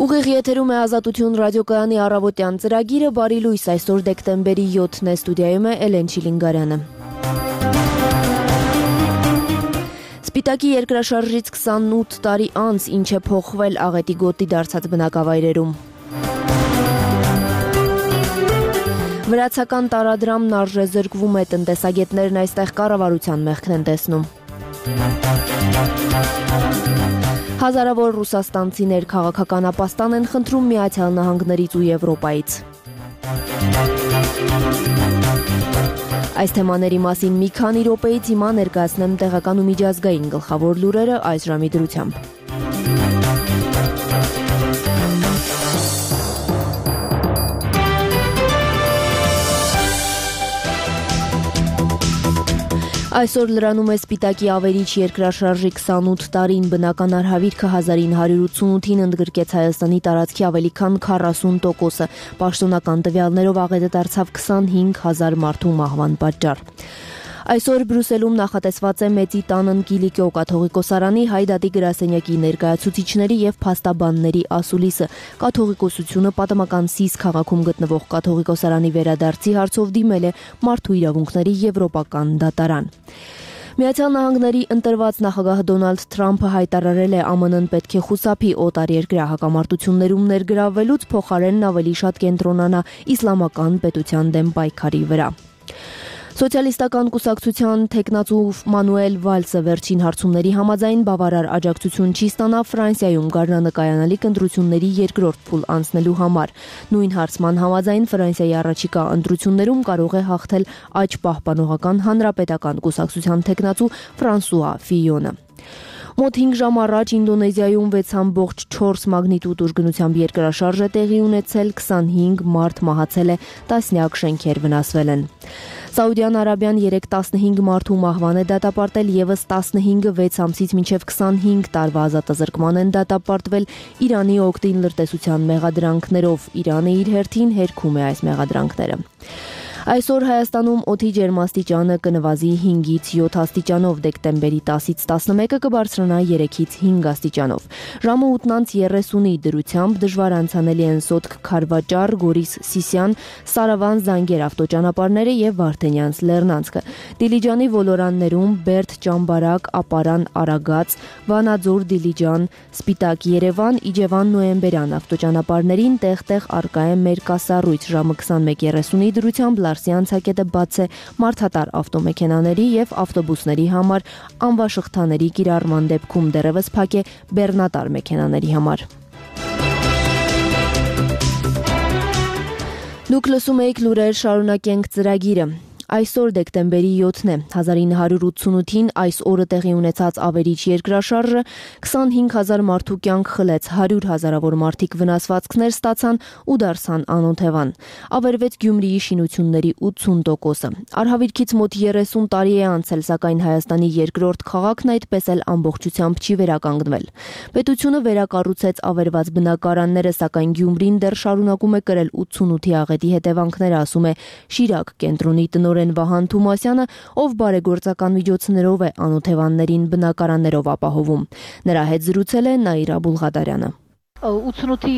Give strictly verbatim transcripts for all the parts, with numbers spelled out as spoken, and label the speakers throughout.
Speaker 1: Ուղիղ եթերում է Ազատություն ռադիոկայանի առավոտյան ծրագիրը, բարի լույս, այսօր դեկտեմբերի յոթն է, ստուդիայում է Էլեն Չիլինգարյանը։ Սպիտակի երկրաշարժից քսանութ տարի անց ինչ է փոխվել աղետի գոտի դարձած բնակավայրերում։ Վրացական տարադրամն արժեզրկվում է, տնտեսագետներն այստեղ կառավարության մեղքն են տեսնում։ Հազարավոր ռուսաստանցիներ քաղաքական ապաստան են խնդրում Միացյալ Նահանգներից ու Եվրոպայից։ Այս թեմաների մասին մի քանի րոպեից հիմա ներկայացնեմ տեղական ու միջազգային գլխավոր լուրերը այս ժամի դրությամբ։ Այսօր լրանում է Սպիտակի ավերիչ երկրաշարժի քսանութ տարին, բնական արհավիրքը հազար ինը հարյուր ութսունութին ընդգրկեց Հայաստանի տարածքի ավելի քան քառասուն տոկոսը, պաշտոնական տվյալներով աղետը դարձավ քսանհինգ հազար մարդու մահվան պատճառ։ Այսօր Բրյուսելում նախատեսված է Մեծի տանն Կիլիկիո կաթողիկոսարանի Հայ դատի գրասենյակի ներկայացուցիչների եւ փաստաբանների ասուլիսը, կաթողիկոսությունը պատմական Սիս քաղաքում գտնվող կաթողիկոսարանի վերադարձի հարցով դիմել է Մարդու իրավունքների եվրոպական դատարան։ Միացյալ Նահանգների ընտրված նախագահ Դոնալդ Թրամփը հայտարարել է Α M N-ն պետք է խուսափի օտարերկրյա հակամարտություններում ներգրավվելուց, փոխարենն ավելի շատ կենտրոնանա իսլամական պետության դեմ պայքարի վրա։ Սոցիալիստական կուսակցության թեկնածու Մանուել Վալսը վերջին հարցումների համաձայն բավարար աջակցություն չի ստանա Ֆրանսիայում գարնանկայանալիք ընտրությունների երկրորդ փուլ անցնելու համար։ Նույն հարցման համաձայն Ֆրանսիայի առաջիկա ընտրություններում կարող է հաղթել աջ պահպանողական հանրապետական կուսակցության թեկնածու Ֆրանսուଆ Ֆիյոնը։ Մոտ հինգ ժամ առաջ Ինդոնեզիայում վեց համբողջ չորս մագնիտուդ ուժգնությամբ երկրաշարժ է տեղի ունեցել, քսանհինգ մարդ մահացել է, տասնյակ շենքեր վնասվել են։ Սաուդյան Արաբիան երեկ տասնհինգ մարդու մահվան է դատապարտել, եւս տասնհինգը վեց ամսից մինչև քսանհինգ տարվա ազատազրկման են դատապարտվել Իրանի օգտին լրտեսության մեղադրանքներով։ Իրանը իր հերթին հերքում է այս մեղադրանքները։ Այսօր Հայաստանում օդի ջերմաստիճանը կնվազի հինգից յոթ աստիճանով, դեկտեմբերի տասից տասնմեկը կբարձրանա երեքից հինգ աստիճանով։ Ժամը ութն երեսունի դրությամբ դժվար անցանելի են Սոտք Քարվաճար, Գորիս Սիսյան, Սարավան Զանգեր ավտոճանապարհները եւ Վարդենյանց Լեռնանցքը։ Դիլիջանի ոլորաններում Բերդ Ճամբարակ, Ապարան Արագած, Վանաձոր Դիլիջան, Սպիտակ Երևան, Իջևան Նոյեմբերյան ավտոճանապարհներին տեղ-տեղ արկա է մերկասառույց, ժամը քսանմեկ երեսունի դրությամբ Լարսյան ցակետը բաց է մարդատար ավտոմեքենաների եւ ավտոբուսների համար, անվաշղթաների կիրառման դեպքում դեռևս փակ է բեռնատար մեքենաների համար։ Դուք լսում եք լուրեր, շարունակենք ծրագիրը։ Այսօր դեկտեմբերի յոթն է, հազար ինը հարյուր ութսունութին այս օրը տեղի ունեցած ավերիչ երկրաշարժը քսանհինգ հազար մարդու կյանք խլեց, հարյուր հազարավոր մարդիկ վնասվածքներ ստացան ու դարձան անօթևան։ Ավերվեց Գյումրիի շինությունների ութսուն տոկոսը։ Արհավիրքից մոտ երեսուն տարի է անցել, սակայն Հայաստանի երկրորդ քաղաքն այդպես էլ ամբողջությամբ չի վերականգնվել։ Պետությունը վերակառուցեց ավերված բնակարանները, սակայն Գյումրին դեռ շարունակում է կրել ութսունութի աղետի հետևանքները, ասում է Շիրակ կենտրոնի տնօրեն Վահան Թումասյանը, ով բարեգործական միջոցներով է անօթևաններին բնակարաններով ապահովում։ Նրա հետ զրուցել է Նաիրա Բուլղադարյանը։
Speaker 2: ութսունութի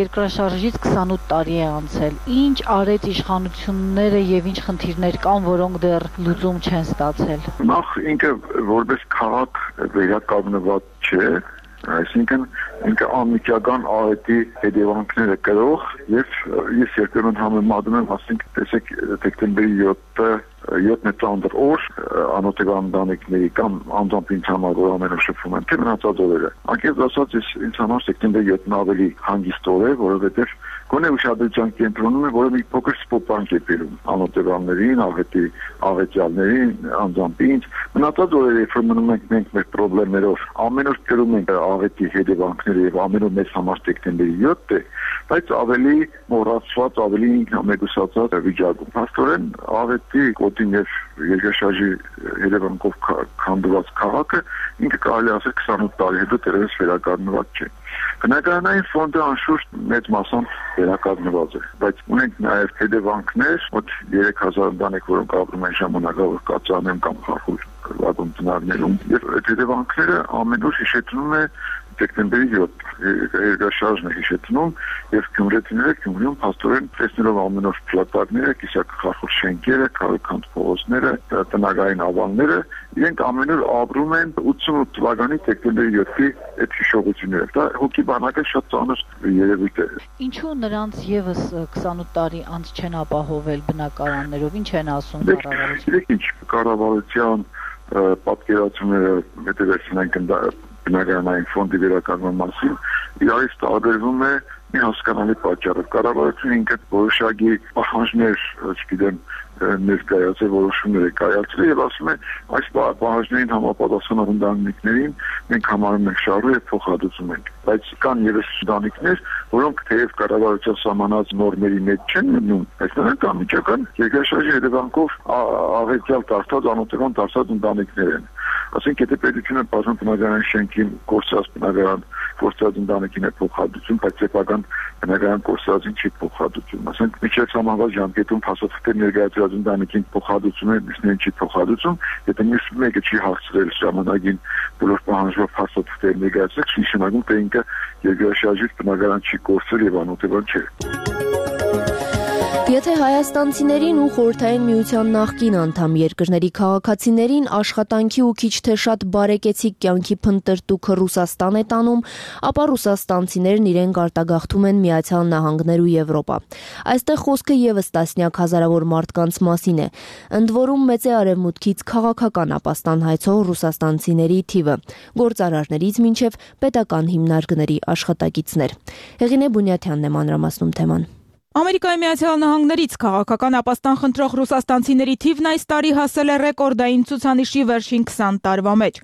Speaker 2: երկրաշարժից քսանութ տարի է անցել։ Ինչ արեց իշխանությունները եւ ինչ խնդիրներ կան, որոնք դեռ լուծում չեն ստացել։
Speaker 3: Նախ ինքը որպես քաղաք վերականգնված չէ, այսինքն ինքը անմիջական աղետի հետևանքները կրող եւ ես երբեմն համեմատում եմ, ասենք, տեսեք դեկտեմբերի յոթը յոթն է ծանր օր անօթևան ընտանիքների կամ անձամբ ինձ համար, որ ամենուր շփվում եմ, թե մնացած օրերը։ Անկեղծ ասած, ինձ համար դեկտեմբերի յոթն ավելի հանգիստ օր է, որովհետեւ գոնե ուշադրության կենտրոնում է, որը մի փոքր սպոպանք է բերում անօթևաններին, աղետի աղետյալներին, անձամբ ինձ։ Մնացած օրերը, երբ մնում ենք մենք մեր խնդիրներով, ամեն օր կրում ենք աղետի հետևանքները եւ ամեն օր մեզ համար դեկտեմբերի յոթ է, բայց ավելի մոռացված, ավելի ինքնամեկուսացած վիճակում։ Փաստորեն աղետի գոտին եւ երկրաշարժի հետևանքով քանդված քաղաքը ինքը կարելի ասել քսանութ տարի հետո դեռևս վերականգնված չէ։ Բնակարանային ֆոնդը անշուշտ մեծ մասամբ վերականգնված է, բայց ունենք նաև հետևանքներ, մոտ երեք հազար ընտանիք, որոնք ապրում են ժամանակավոր կացարաններում կամ խախուր վագոն տներում, եւ այդ հետևանքները ամենուր հիշեցնում է դեկտեմբերի յոթ երկրաշարժն է հիշեցնում եւ գյումրեցիները Գյումրիում փաստորեն տեսնելով ամեն օր փլատակները, կիսակախախոր շենքերը, քաղաքանտ փողոցները, տնագային ավանները, իրենք ամեն օր ապրում են ութսունութ թվականի դեկտեմբերի յոթի այդ հիշողությունները։ Դա հոգի բանակը շատ ծանր երևույթ է։
Speaker 2: Ինչու նրանց եւս քսանութ տարի անց չեն ապահովել բնակարաններով, ինչ են ասում կառավարությունը։
Speaker 3: Ինչ կառավարության պատկերացումները հետևեցին են բնակարանային ֆոնդի վերականգնման մասին, իրարից տարբերվում է մի հասկանալի պատճառով։ Կառավարությունը ինքը որոշակի պահանջներ, չգիտեմ, ներկայացել, որոշումներ է կայացրել եւ ասում է այս պահանջներին համապատասխանող ընտանիքներին մենք համարում ենք շահառու եւ փոխհատուցում ենք։ Բայց կան եւս ընտանիքներ, որոնք թեև կառավարության սահմանած նորմերի մեջ չեն մտնում, բայց նրանք անմիջական երկրաշարժի հետևանքով աղետյալ դարձած, անօթևան դարձած ընտանիքներ են։ Ասենք եթե պետությունը բաժան բնակարան շենքին կորցած բնակարան կորցած ընտանիքին է փոխհատուցում, բայց սեփական բնակարան կորցածին չի փոխհատուցում։ Ասենք միջև համավարժ ժամկետում փաստաթղթեր ներկայացրած ընտանիքին փոխհատուցում է, մյուսներին չի փոխհատուցում, եթե մյուս մեկը չի հասցրել ժամանակին բոլոր պահանջով փաստաթղթեր ներկայացրել, նշանակում թե ինքը երկրաշարժից բնակարան չի կորցրել եւ անօթևան չէ։
Speaker 1: Եթե հայաստանցիներին ու Խորհրդային Միության նախկին անդամ երկրների քաղաքացիներին աշխատանքի ու քիչ թե շատ բարեկեցիկ կյանքի փնտրտուքը Ռուսաստան է տանում, ապա ռուսաստանցիներն իրենք արտագաղթում են Միացյալ Նահանգներ ու Եվրոպա։ Այստեղ խոսքը եւս տասնյակ հազարավոր մարդկանց մասին է, ընդ որում մեծ է արևմուտքից քաղաքական ապաստան հայցող ռուսաստանցիների թիվը, գործարարներից մինչև պետական հիմնարկների աշխատակիցներ։ Հեղինե Բունյաթյանն է մանրամասնում թեման։
Speaker 4: Ամերիկայի Միացյալ Նահանգներից քաղաքական ապաստան խնդրող ռուսաստանցիների թիվն այս տարի հասել է ռեկորդային ցուցանիշի վերջին քսան տարվա մեջ։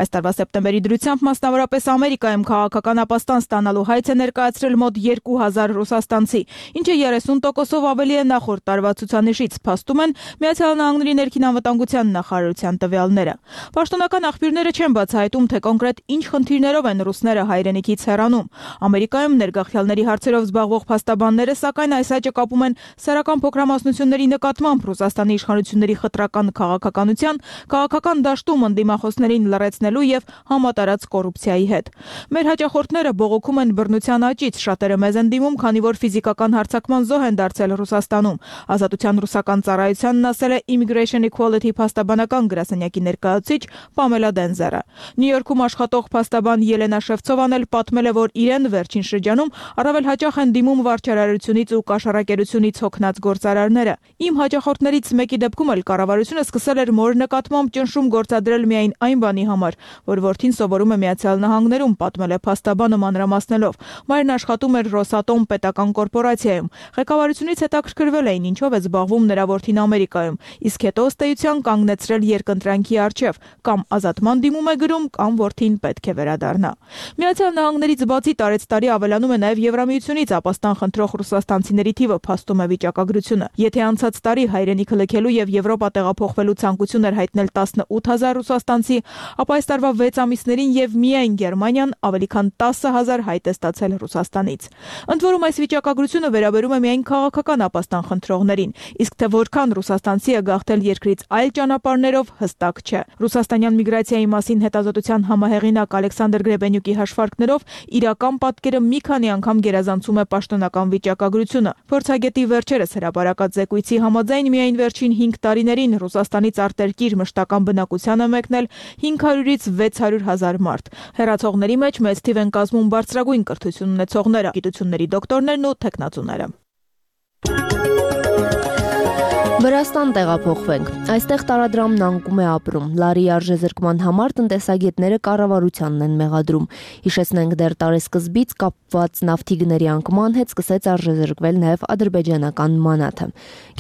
Speaker 4: Այս տարվա սեպտեմբերի դրությամբ մասնավորապես Ամերիկայում քաղաքական ապաստան ստանալու հայց է ներկայացրել մոտ երկու հազար ռուսաստանցի, ինչը երեսուն տոկոսով ավելի է նախորդ տարվա ցուցանիշից, փաստում են Միացյալ Նահանգների ներքին անվտանգության նախարարության տվյալները։ Պաշտոնական աղբյուրները չեն բացահայտում, թե կոնկրետ ինչ խնդիրներով են ռուսները հայրենիքից հեռանում։ Ամերիկայում ներգաղթյալների հարցերով զբաղվող փաստաբանները սակայն այս աճը կապում են սեռական փոքրամասնությունների նկատմամբ Ռուսաստանի իշխանությունների խտրական քաղաքականության, քաղաքական դաշտում ընդդիմախոսներին լռեցնելու եւ համատարած կոռուպցիայի հետ։ Մեր հաճախորդները բողոքում են բռնության աճից, շատերը մեզ են դիմում, քանի որ ֆիզիկական հարձակման զոհ են դարձել Ռուսաստանում։ Ազատության ռուսական ծառայությանն ասել է Immigration Equality փաստաբանական գրասենյակի ներկայացուցիչ Պամելա Դենզերը։ Նյու Յորքում աշխատող փաստաբան Ելենա Շևցովան էլ պատմել է, որ իրեն վերջին շրջանում առավել հաճախ են դիմում վարչարարությունից ու կաշառակերությունից հոգնած գործարարները։ Իմ հաճախորդներից մեկի դեպքում էլ կառավարությունը սկսել էր մոր նկատմամբ ճնշում գործադրել միայն այն բանի համար, որ որդին սովորում է Միացյալ Նահանգներում, պատմել է փաստաբանը մանրամասնելով։ Մայրն աշխատում էր Ռոսատոմ պետական կորպորացիայում։ Ղեկավարությունից հետաքրքրվել էին, ինչով է զբաղվում նրա որդին Ամերիկայում, իսկ հետո ըստ էության կանգնեցրել երկընտրանքի առջև, կամ ազատման դիմում է գրում, կամ որդին պետք է վերադառնա։ Միացյալ Նահանգներից բացի տարեցտարի ավելանում է նաև Եվրամիությունից ապաստան խնդրող ռուսաստանցիների թիվը, փաստում է վիճակագրությունը։ Եթե անցած տարի հայրենիքը լքելու եւ Եվրոպա տեղափոխվելու ցանկություն էր հայտնել տասնութ հազար ռուսաստանցի, ապա այս տարվա վեց ամիսներին եւ միայն Գերմանիան ավելի քան տասը հազար հայտ է ստացել Ռուսաստանից։ Ընդ որում այս վիճակագրությունը վերաբերում է միայն քաղաքական ապաստան խնդրողներին, իսկ թե որքան ռուսաստանցի է գաղթել երկրից այլ ճանապարհներով հստակ չէ։ Ռուսաստանյան միգրացիայի մասին հետազոտության համահեղինակ Ալեքսանդր Գրեբենյուկի հաշվարկներով իրական պատկերը մի քանի անգամ գերազանցում է պաշտոնական վիճակագրությունը։ Փորձագետի վերջերս հրապարակած զեկույցի համաձայն միայն վերջին հինգ տարիներին Ռուսաստանից արտերկիր մշտական բնակության է մեկնել հինգ հարյուրից վեց հարյուր հազար մարդ։ Հեռացողների մեջ մեծ թիվ են կազմում բարձրագույն կրթություն ունեցողները, գիտությունների դոկտորներն ու թեկնածուները։
Speaker 1: Վրաստան տեղափոխվենք։ Այստեղ տարադրամն անկում է ապրում։ Լարի արժեզրկման համար տնտեսագետները կառավարությանն են մեղադրում։ Հիշեցնենք, դեռ տարեսկզբից կապված նավթի գների անկման հետ սկսեց արժեզրկվել նաև ադրբեջանական մանաթը։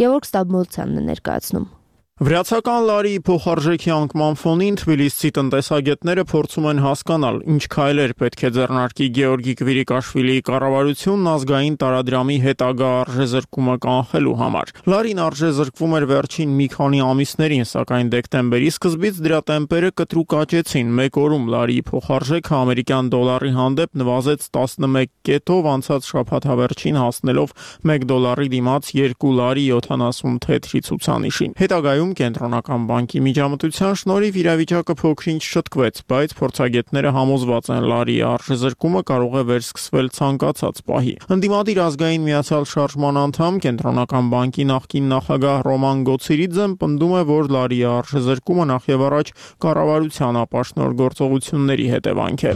Speaker 1: Գևորգ Ստաբմոլցյանն է ներկայացնում։
Speaker 5: Վրացական լարի փոխարժեքի անկման ֆոնին թբիլիսցի տնտեսագետները փորձում են հասկանալ, ինչ քայլեր պետք է ձեռնարկի Գեորգի Կվիրիկաշվիլիի կառավարությունն ազգային տարադրամի հետագա արժեզրկումը կանխելու համար։ Լարին արժեզրկվում էր վերջին մի քանի ամիսներին, սակայն դեկտեմբերի սկզբից դրա տեմպերը կտրուկ աճեցին։ Մեկ օրում լարի փոխարժեքը ամերիկյան դոլարի հանդեպ նվազեց տասնմեկ կետով, անցած շաբաթավերջին հասնելով մեկ դոլարի դիմաց երկու լարի յոթանասուն թեթրի ցուցանիշին։ Հետագայում Ամերիկայում կենտրոնական բանկի միջամտության շնորհիվ իրավիճակը փոքրինչ շտկվեց, բայց փորձագետները համոզված են լարի արժեզրկումը կարող է վերսկսվել ցանկացած պահի։ Ընդդիմադիր ազգային միացյալ շարժման անդամ կենտրոնական բանկի նախկին նախագահ Ռոման Գոցիրիձեն պնդում է, որ լարի արժեզրկումը նախևառաջ կառավարության ապաշնոր գործողությունների հետևանք է։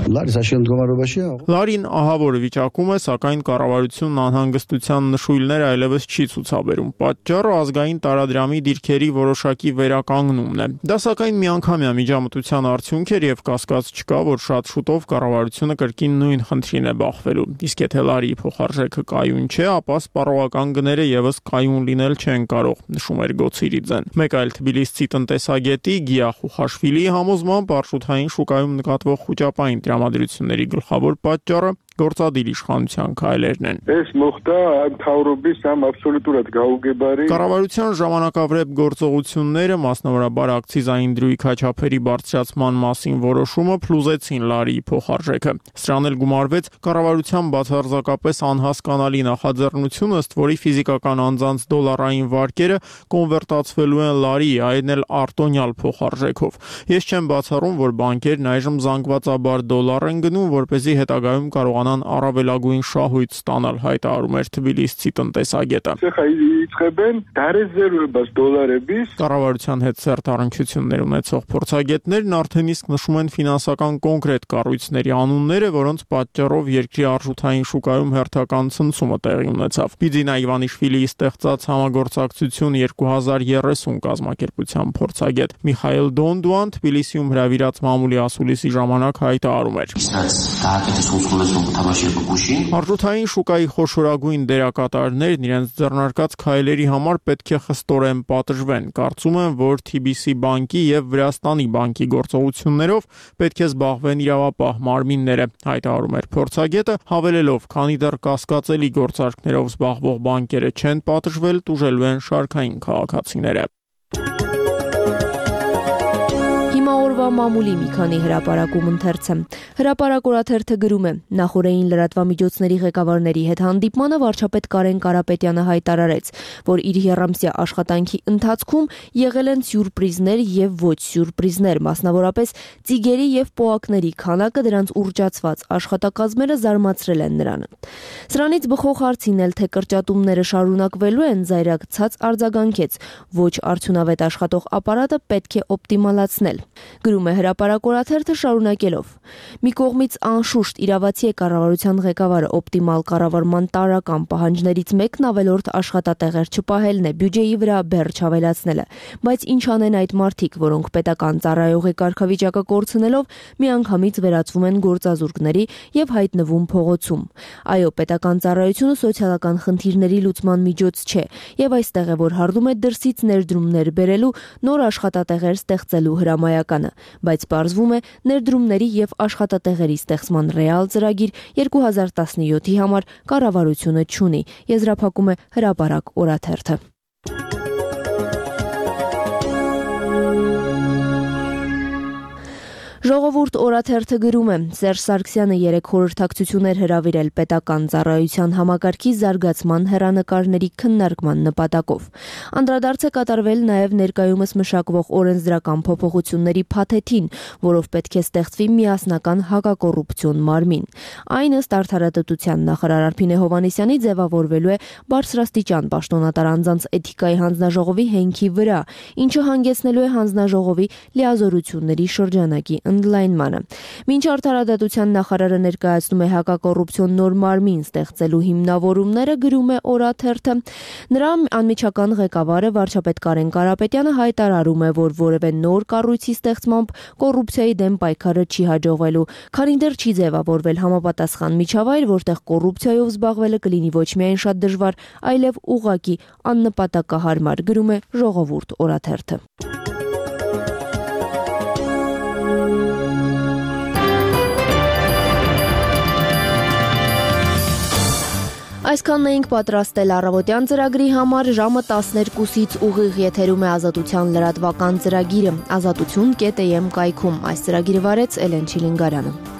Speaker 5: Լարին ահավոր վիճակում է, սակայն կառավարությունն անհանգստության նշույլներ այլևս չի ցուցաբերում։ Պատճառը ազգային տարադրամի դիրքերի որոշակի վերականգնումն է։ Դա սակայն միանգամյա միջամտության արդյունք էր եւ կասկած չկա, որ շատ շուտով կառավարությունը կրկին նույն խնդրին է բախվելու։ Իսկ եթե լարի փոխարժեքը կայուն չէ, ապա սպառողական գները եւս կայուն լինել չեն կարող, նշում էր Գոցիրիձեն։ Մեկ այլ թբիլիսցի տնտեսագետի Գիա Խուխաշվիլիի համոզմամբ արժութային շուկայում նկատվող խոճապային տրամադրությունների գլխավոր պատճառը գործադիր իշխանության քայլերն են։ Կառավարության ժամանակավրեպ գործողությունները, մասնավորաբար ակցիզային դրույթ քաչափերի բարձրացման մասին որոշումը փլուզեցին լարիի փոխարժեքը։ Սրան էլ գումարվեց կառավարության բացարձակապես անհասկանալի նախաձեռնությունը, ըստ որի ֆիզիկական անձանց դոլարային վարկերը կոնվերտացվելու են լարի, այն էլ արտոնյալ փոխարժեքով։ Ես չեմ բացառում, որ բանկերն այժմ զանգվածաբար դոլար են գնում, որպեսզի հետագայում կարողանան առավելագույն շահույթ ստանալ, հայտարարում էր թբիլիսցի տնտեսագետը։ Կառավարության հետ սերտ առնչություններ ունեցող փորձագետներն արդեն իսկ նշում են ֆինանսական կոնկրետ կառույցների անունները, որոնց պատճառով երկրի արժութային շուկայում հերթական ցնցումը տեղի ունեցավ։ Բիձինա Իվանիշվիլիի ստեղծած համագործակցություն երկու հազար երեսուն կազմակերպության փորձագետ Միխայել Դոնդուան Թբիլիսիում հրավիրած մամուլի ասուլիսի ժամանակ հայտարարում էր. Արժութային շուկայի խոշորագույն դերակատարներն իրենց ձեռնարկած քայլերի համար պետք է խստորեն պատժվեն։ Կարծում եմ, որ Թի Բի Սի բանկի եւ Վրաստանի բանկի գործողություններով պետք է զբաղվեն իրավապահ մարմինները, հայտարարում էր փորձագետը, հավելելով, քանի դեռ կասկածելի գործարքներով զբաղվող բանկերը չեն պատժվել, տուժելու են շարքային քաղաքացիները։
Speaker 1: Օրվա մամուլի մի քանի հրապարակում ընթերցը։ Հրապարակ օրաթերթը գրում է. նախորդային լրատվամիջոցների ղեկավարների հետ հանդիպմանը վարչապետ Կարեն Կարապետյանը հայտարարեց, որ իր եռամսյա աշխատանքի ընթացքում եղել են սյուրպրիզներ եւ ոչ սյուրպրիզներ, մասնավորապես ծիգերի եւ պոակների քանակը, դրանց ուռճացված աշխատակազմերը զարմացրել են նրան։ Սրանից բխող հարցին էլ, թե կրճատումները շարունակվելու են, զայրակցած արձագանքեց. ոչ արդյունավետ աշխատող ապարատը պետք է օպտիմալացնել։ Գրում է հրապարակ օրաթերթը շարունակելով. մի կողմից անշուշտ իրավացի է կառավարության ղեկավարը օպտիմալ կառավարման տարրական պահանջներից մեկն ավելորդ աշխատատեղեր չպահելն է, բյուջեի վրա բեռ չավելացնելը, բայց ինչ անեն այդ մարդիկ, որոնք պետական ծառայողի կարգավիճակը կորցնելով միանգամից վերածվում են գործազուրկների եւ հայտնվում փողոցում։ Այո, պետական ծառայությունը սոցիալական խնդիրների լուծման միջոց չէ, եւ այստեղ է, որ հարդում է դրսից ներդրումներ բերելու, նոր աշխատատեղեր ստեղծելու հրամայականը, բայց պարզվում է ներդրումների եւ աշխատատեղերի ստեղծման ռեալ ծրագիր երկու հազար տասնյոթի համար կառավարությունը չունի, եզրափակում է հրապարակ օրաթերթը։ Ժողովուրդ օրաթերթը գրում է. Սերժ Սարգսյանը երեք խորհրդակցություններ հրավիրել պետական ծառայության համակարգի զարգացման հեռանկարների քննարկման նպատակով։ Անդրադարձ է կատարվել նաև ներկայումս մշակվող օրենսդրական փոփոխությունների փաթեթին, որով պետք է ստեղծվի միասնական հակակոռուպցիոն մարմին։ Այն ըստ Արդարադատության նախարար Արփինե Հովհաննիսյանի ձևավորվելու է բարձրաստիճան պաշտոնատար անձանց էթիկայի հանձնաժողովի հենքի վրա, ինչը հանգեցնելու է հանձնաժողովի լիազորությունների շրջանակի ընդլայնմանը։ Մինչ Արդարադատության նախարարը ներկայացնում է հակակոռուպցիոն նոր մարմին ստեղծելու հիմնավորումները, գրում է օրաթերթը, նրա անմիջական ղեկավարը վարչապետ Կարեն Կարապետյանը հայտարարում է, որ որևէ նոր կառույցի ստեղծմամբ կոռուպցիայի դեմ պայքարը չի հաջողվելու, քանի դեռ չի ձևավորվել համապատասխան միջավայր, որտեղ կոռուպցիայով զբաղվելը կլինի ոչ միայն շատ դժվար, այլև ուղղակի աննպատակահարմար, գրում է Ժողովուրդ օրաթերթը։ Այսքանն էինք պատրաստել առավոտյան ծրագրի համար, ժամը տասներկուսից ուղիղ եթերում է Ազատության լրատվական ծրագիրը, ազատություն կետ է եմ կայքում։ Այս ծրագիրը վարեց Էլեն Չիլինգարյանը։